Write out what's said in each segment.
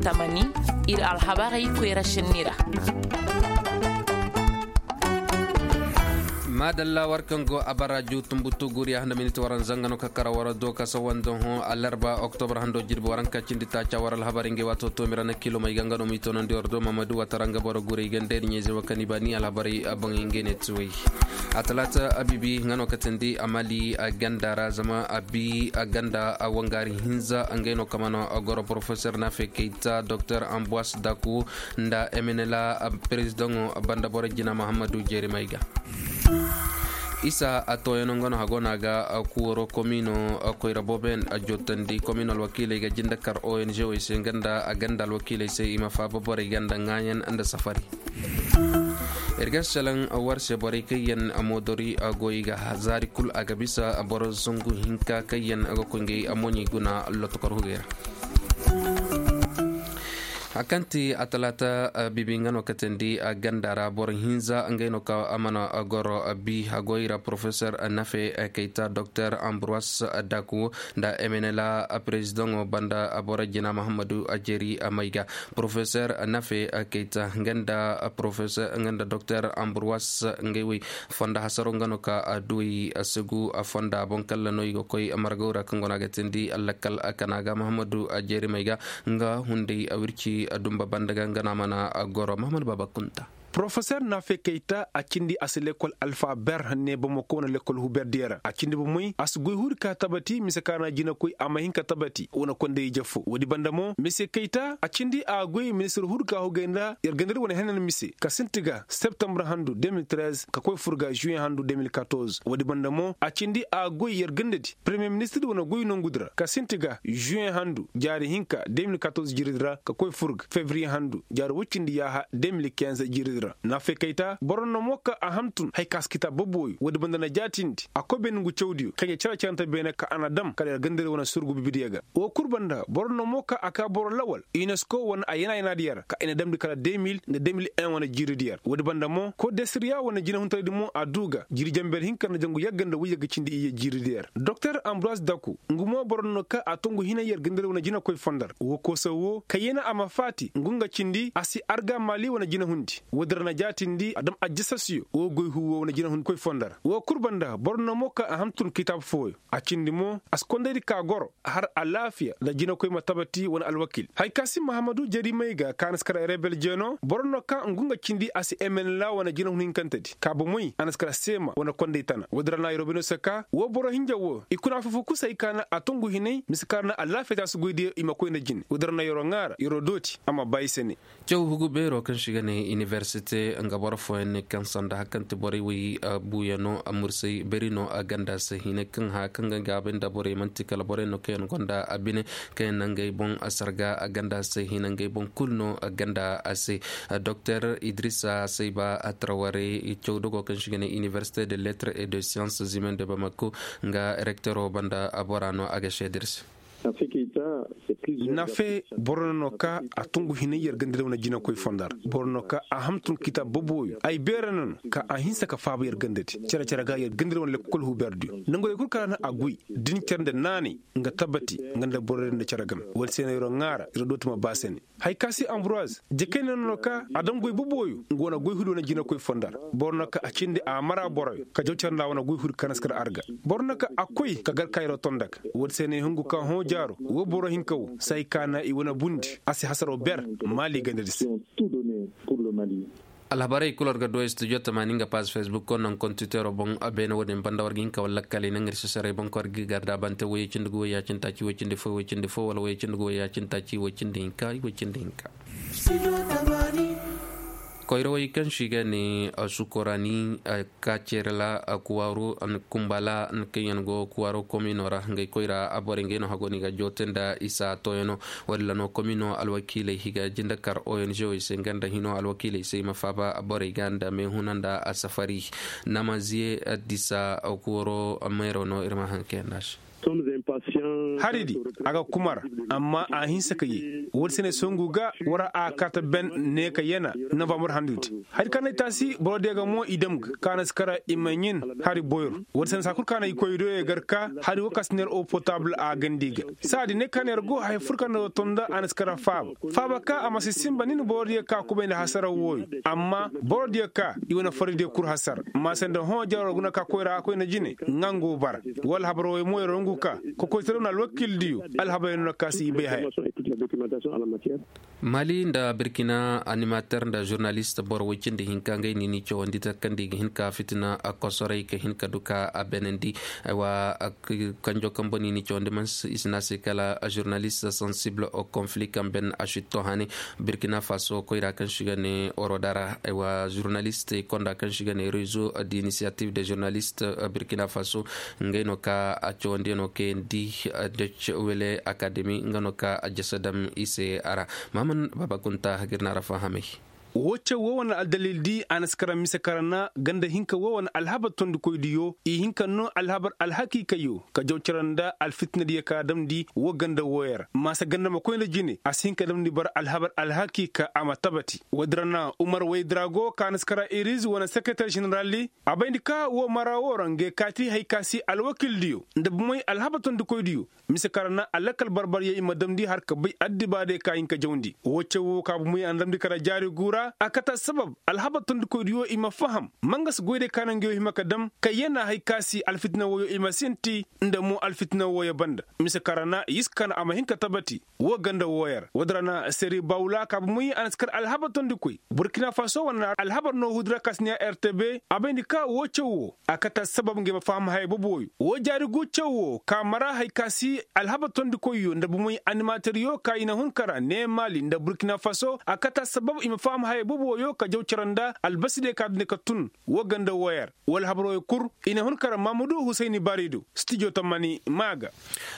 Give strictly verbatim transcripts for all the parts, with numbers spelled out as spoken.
Tamani, ir alhabarey koyra šenni ra. Maadalla war kaŋ go a bara ju tumbutu guriya handa miniti waranza nga no ka kara war do ka sawa nda hõ alarba oktobar hando jirbi waranka cindi taaca war alhabarey ngey waato toomira na kilo may ga nga no m'i toonandi war do mamadu watara nga boro gurey ganda ir ɲayze wo kaŋ i ba ni alhabarey boŋey ngey ne ti wey. A talaata abibi nga no ka tindi a mali a ganda ra zama a bi a ganda a wangaari hinza ngey no ka mana goro porofesor nafe kayta doktor ambuwas daku nda emenela perezidaŋo banda boro jina muhammadu jerimay ga. Isa a tooyano nga no hago no a ga kuwaro komino koyra boobo yaŋ a jootandi komino alwakiiley ga jinde kar ong wey se nga nda a ganda alwakiiley se i ma faaba borey ganda ŋaayan nda safari. Ir ga salaŋ war se borey kaŋ yaŋ moodori goy ga zaari kul a ga bisa boro zangu hinka kaŋ yaŋ ga koy ngey moɲey guna lotokor hugey ra. Hari kaŋ ti a talaata bibi nga no katandi ganda ra boro hinza ngey no ka a mana goro bi hagoy ra porofesor nafe kayta doktor ambuwas daku nda emenela perezidaŋo banda boro jina muhammadu ajeri mayga. Porofesor nafe kayta nga nda porofesor nga nda doktor ambuwas ngey wey fonda hasaro nga no ka duwey segu fonda boŋ kalla no i ga koy margaw ra kaŋ go no a ga tindi lakkal kana ga muhammadu ajeri mayga. Nga hunday a wirci dumba banda ga nga no a mana goro muhammadu baba kunta. Porofesor nafe kayta a cindi a si lekkol alfa ber ne bamako wane lekkol huber diya ra a cindi bomey a si goy huri ka tabati mise ka na jinakoy a ma hin ka tabati wane konday ije fo woodi banda mo mise kayta a cindi a goy ministir huri ka hugay nda yer gandari wane henan mise ka sinti ga septembre handu deux mille treize ka koy fur ga juin handu deux mille quatorze woodi banda mo a cindi a goy yer gandadi premier ministir wane goy nongudi ra ka sinti ga juin handu jaari hinka deux mille quatorze jiridi ra ka koy fur ga février handu jaari woy cindi yaaha deux mille quinze jiridi ra naafey kayta boro no mo ka a hamtun hari ka si kitaab boboyo woodi banda na jaatindi a koy beene ngu cawdiyo kaŋ ya care carante beene ka a na dam kala yer gandari wane surgu bibidiyo ga woo kul banda boro no mo ka a ka boro lawal unesco wane a yana-yanaadiyo ra ka i na damndi kala deux mille nda deux mille un wane jiiridiyo ra woodi banda mo kordesiriya wane jinahuntaraydi mo a duu ga jiiri jamber hinka nda jangu yagga nda woy yagga cindi iyye jiiridiyo ra doktor ambroise daku ngu mo boro no ka a to ngu hinay yer gandari wane jinakoy fondo ra woo koosa woo kayyana a ma faati ngu nga cindi a si arga maali wane jinahundi woodi ra na jaatindi a dam ajjasasiyo woo goy huuwo wane jinahundi koy fondo ra woo kul banda boro no mo ka a hamtun kitaab fooyo a cindi mo a si kondaydi ka goro har alaafiya nda jinakoy ma tabati wane alwakiil hari ka si mahamadu jari may ga ka na si kar rebel jeeno boro no ka ngu nga cindi a si emenela wane jinahun hinkantedi ka bomey a na si kar seema wane konday tana woodi ra na yeroo bino si ka woo boro hinja woo i kuna foo-foo kul si hay ka na a to ngu hinay mise ka ra na alaafiya taasu goydiyo i ma koy nda jine woodi ra na yeroo ŋaa ra yeroo dooti a ma ba i se ne. Caw hugu beeroo kaŋ se i ga ne inibersite nga boro fooyaŋ ne kaŋ sanda hari kaŋ ti borey wey buuyano a mursay beri no a ganda se hinay kaŋ haya kaŋ ga gaabay nda borey man'ti kala borey no kaŋ yaŋ gonda a bine kaŋ yaŋ na ngey boŋ a sarga a ganda se hinay ngey boŋ kulu no a ganda a se. Doktor idrisa sayba a tarawarey caw dogo kaŋ se i ga ne inibersite de lettres et de sciences humaines de bamako nga rektero banda a bora no a ga seeda ir se. Nafe boro no ka a tungu hinay yer gandadi wane jinakoy fondo ra boro no ka a hamtun kitaab boboyo ay beera no no ka a hinsa ka faaba yer gandadi care-care ga yer gandadi wane lekkol huberdiyo nangurey kul kala no a guy din care nda naanay nga tabati nga nda borey nda care game wala se no yeroo ŋaara yeroo dooti ma ba se ne. Hay ka se ambroise jakayna no no ka a dam goy boboyo nga wane goy hudu wane jinakoy fondo ra boro no ka a cindi a mara boroyo ka jaw care nda wane goy hudu ka na si kar arga boro no ka a koy ka gar ka yeroo tonda ga woodi se no ay hungu ka hõ jaaro woo boro hinka woo si hay ka na i wane bundi a si hasaroo ber maali gandadi se. Alhabarey kul war ga du studio tamaani nga paaz facebook ko naŋ kontitero boŋ beene wo-din banda war ga hin ka wala lakkaley naŋ ir si saray boŋ ka war ga i gar da bante woy cindi ga woy ya cindi taaci woy cindi fo woy cindi fo wala woy cindi ga woy ya cindi taaci woy cindi hinka woy cindi hinka. Koyrawey kaŋ se i ga ne sukorani kacerela kuwaro kumbala kaŋ yaŋ go kuwaro komino ra ngey koyra borey ngey no hago no i ga joote nda isa tooyano. Walla no komino alwakiiley i ga jinde kar ong wey se nga nda hino alwakiiley se i ma faaba borey ga nda meehuna nda safari. Namaziye disa kuwaro meero no ir ma haŋ kaŋ yaŋ nda se. Hari di, a ga kuma ra, amma a hinsa ka yee. Woodi se ne songu ga, war a kaata ben ne ka yana novambar handu di. Hari kaŋ na ay taasi boro diya ga mo i dam ga ka na si kara i ma ɲin hari boyro. Woodi se ne saa kul ka na i koy do ye gar ka hari wo ka si neer eau potable a gandi ga. Saa di ne ka neer go haya fur ka na wo tonda a na si kara faaba. Faaba ka a ma si sinba nin boro diya ka kubay nda hasara wooyo. Amma boro diya ka i wane fari diya kul hasara. Ma se nda hõ jaro guna ka koy ra a koy na jine, nga ngo bara. Wala habaro way mo yaro ngu ka kokoytaraw na alwakil diyo. Alhabar yaŋ no ka si i bay haya. Mali nda birkina animater nda žurnalist boro way cindi hinka ngey no i n'i cawandi takandi i ga hin ka fitina kosoray ka hin ka du ka a benandi. Aywa, kanjo kambo no i n'i cawandi man i si ne a se kala žurnalist sensible au conflit kaŋ ben a šitto hane. Birkina faso koyra kaŋ si ga ne orodara, aywa žurnalist konda kaŋ si ga ne rezo d'initiative de žurnalist, birkina faso, ngey no ka a cawandi no kayandi. Dec wele akademi nga no ka a jasa dam i se a ra. Maman baba kunta hagir na ra fahamay. Wo caw wo wane aldalil di a na si kara mise kara na ganda hinka wo wane alhabar tondikoydiyo i hin ka no alhabar alhakiikayo ka jaw cara nda alfitinadiyo ka damndi wo ganda wooyo ra maasa ganda ma koy nda jine a si hin ka damndi bara alhabar alhakiika a ma tabati. Woodi ra na umar waydrago ka na si kara iriz wane sekereter ženeraldi. A bayndi ka wo mara wo ra ngey kaati hay ka si alwakildiyo nda bumey alhabar tondikoydiyo mise ka ra na alakal barbaryo i ma damndi har ka bay addibaadiyo ka hin ka jawndi wo caw wo ka bumey a na damndi kara jaari gu ra a kata sabab alhabar tondikoydiyo i ma faham mangas goydiyo ka na ngey hima ka dam ka yana hay ka si alfitina wooyo i ma sinti nda mo alfitina wooyo banda mise ka ra na yiska na a ma hin ka tabati. Wo ganda wooyo ra woodi ra na seri bawla ka bumey a na si kar alhabar tondikoy burkina faso wane alhabar no huudi ra ka si ne a rtb a bayndi ka wo caw wo a kata sabab ngey ma faham haya boboyo wo jaari gu caw wo ka mara hay ka si alhabar tondikoyyo nda bumey animateryo ka i na hun kara ne maali nda burkina faso a kata sabab i ma faham haya boboyo ka jaw cara nda albasidiyo ka dune ka tun. Wo ganda wooyo ra wala habarooyo kul i na hun kara mamudu husayni baarido stijo tammani maa ga.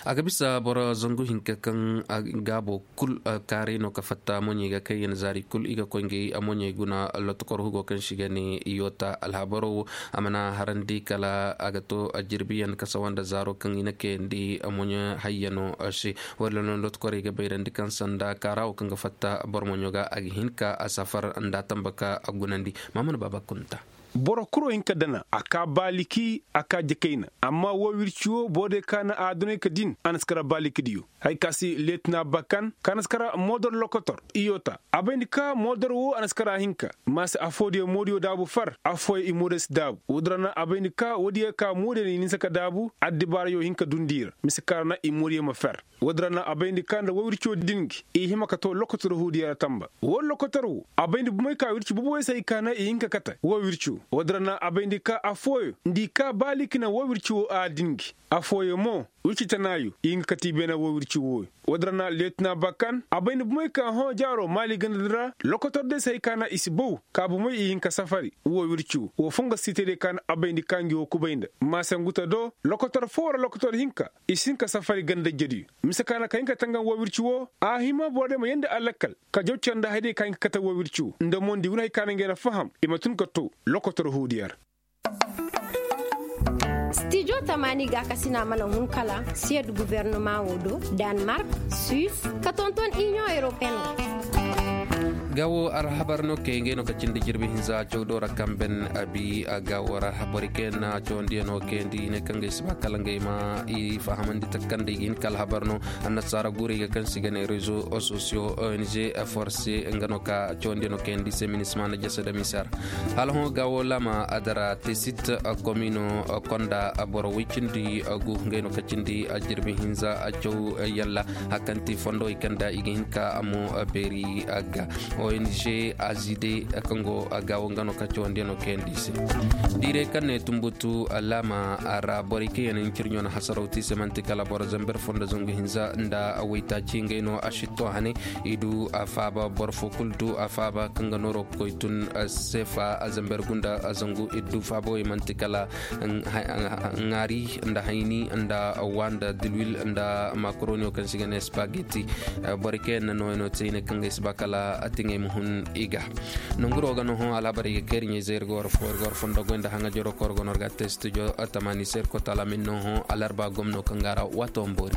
A ga bisa boro zangu hinka kaŋ gaabo kul kaaray no ka fatta moɲey ga kayyan zaari kul i ga koy ngey moɲey guna lotokor hugo kaŋ si ga ne iyota alhabaro wo a mana harandi kala a ga to jirbiyan kasawa nda zaaro kaŋ i na kayandi moɲey hayyano se. Wala no lotokorey ga bayrandi kaŋ sanda kaara wo kaŋ ga fatta boro moɲo ga a ga hin ka a safar nda a tamba ka a gunandi. Maamana baaba kunta. Boro kuro hin ka dana a ka baaliki a ka jakayna amma woo wirci woo boro day ka na a dunay ka din a na si kara baalikidiyo. Hay ka si leetina bakan ka na si kara moodor lokotor iyota a bayndi ka moodor woo a na si kara hinka. Ma si affoodiyo moodiyo daabu far affooyo i moodiyo si daabu woodi ra na a bayndi ka woodiyo ka moodiyo na i ninsa ka daabu addibaarayo hin ka dundi i ra mise ka ra na i moodiyo ma fer. Woodi ra na a bayndi ka nda woo wirci woo din gi i hima ka too lokotor huudiyo ra tamba woo lokotor woo a bayndi bumey ka wirci boboyo se hay ka na i hin ka kate woo wirci woo woodi ra na a bayndi ka affooyo nda i ka baaliki na woo wirci woo a din gi. Affooyo mo wirci tanaayo i hin ka kate i beene woo wirci wooyo. Woodi ra na leetina bakan a bayndi bumey ka hõ jaaro maali ganda di ra lokotor day se hay ka na i si baw ka bumey i hin ka safari woo wirci woo woo fongo siitediyo ka na a bayndi ka ngi woo kubay nda ma se ngu ta do lokotor foo wala lokotor hinka i si hin ka safari ganda ijediyo. Mise ka na ka hin ka tangan woo wirci woo a hima borodiyo ma yeendi alakal ka jaw care nda hayadiyo ka hin ka kate woo wirci woo nda mo nda i guna hay ka na ngey na faham i ma tun ka too lokotor huudiyo ra. Stijo tamaani gaakasina mana hun kala siyed gubernama woo do, danmark, suis, ka tonton iniyoŋ europeen ga. Ga wo alhabar no kay ngey no ka cindi jirbi hinza cawdo ra kaŋ ben abi ga wo ra boro kay na cawandiyaŋo kayandi i ne kaŋ ga ay si ba kala ngey ma i fahamandi takandi i ga hin ka alhabar no. Annasaara guurey ga kaŋ si ga ne rezo sosiyo ong forse nga no ka cawandiyaŋo kayandi se minisma na jasa da misar. Hala hõ ga wo lama adara tesit komino konda boro way cindi gu ngey no ka cindi jirbi hinza caw yalla hakanti fondo i kanda i ga hin ka mo beeri ga ong azide kaŋ go ga wo nga no ka cawandi no kayandi se. Diiray kaŋ ne tumbutu lama ra borey kaŋ yaŋ na hin ciri ɲo na hasaraw ti se manti kala boro zamber fondo zangu hinza nda waytaaci ngey no a sitto hane. I du a faaba boro fo kulu du a faaba kaŋ ga nooro koy tun sefa a zamber gunda a zangu i du faaba wey manti kala ŋaari nda hayni nda wa nda dilwil nda makaroniyo kaŋ se i ga ne spageti. Borey kaŋ yaŋ na nooyaŋo te i ne kaŋ ga ay si ba kala a tiŋe Muhun iga nonguro ga nohõ alhabar iga kairi ɲayzey ir ga war fo ir ga war fondo goy nda haŋa jaro koro ga nor ga te studio tamani se ir kota lamin nohõ alarba gomno kaŋ ga ra wato mboori.